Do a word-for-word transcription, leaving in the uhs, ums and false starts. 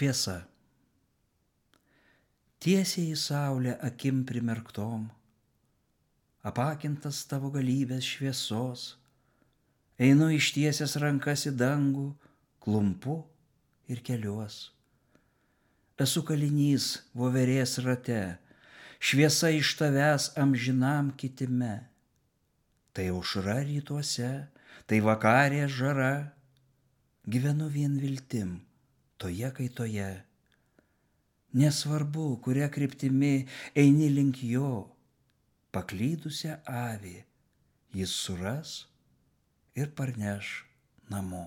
Šviesa. Tiesiai į saulę akim primerktom, apakintas tavo galybės šviesos, einu ištiesęs rankas į dangų, klumpu ir keliuos. Esu kalinys voverės rate, šviesa iš tavęs amžinam kitime. Tai aušra rytuose, tai vakarė žara, gyvenu vien viltim, toje kaitoje. Nesvarbu, kuria kryptimi eini link jo, paklydusią avį jis suras ir parneš namo.